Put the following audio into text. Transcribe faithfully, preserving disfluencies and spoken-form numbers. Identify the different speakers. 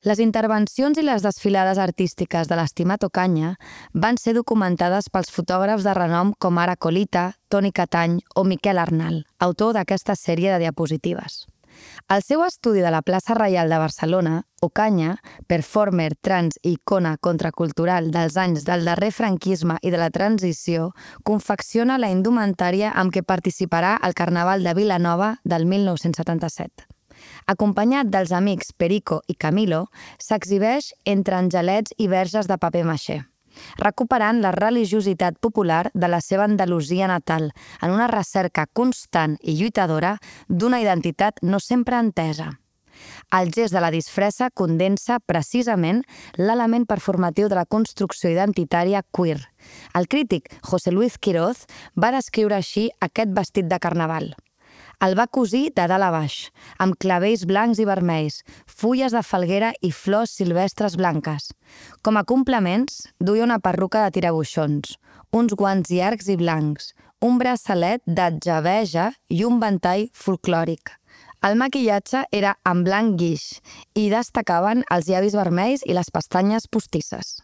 Speaker 1: Les intervencions i les desfilades artístiques de l'Estimat Ocaña van ser documentades pels fotògrafs de renom com ara Colita, Toni Catany o Miquel Arnal, autor d'aquesta sèrie de diapositives. Al seu estudi de la plaça Reial de Barcelona, Ocaña, performer, trans i icona contracultural dels anys del darrer franquisme i de la transició, confecciona la indumentària amb què participarà al Carnaval de Vilanova del mil nou-cents setanta-set. Acompanyat dels amics Perico i Camilo, s'exhibeix entre angelets i verges de paper maixé, recuperant la religiositat popular de la seva Andalusia natal en una recerca constant i lluitadora d'una identitat no sempre entesa. El gest de la disfressa condensa precisament l'element performatiu de la construcció identitària queer. El crític José Luis Quiroz va descriure així aquest vestit de carnaval. El va cosir de dalt a baix, amb clavells blancs i vermells, fulles de falguera i flors silvestres blanques. Com a complements, duia una perruca de tirabuixons, uns guants llargs i blancs, un braçalet d'atjaveja i un ventall folclòric. El maquillatge era en blanc guix i destacaven els llavis vermells i les pestanyes postisses.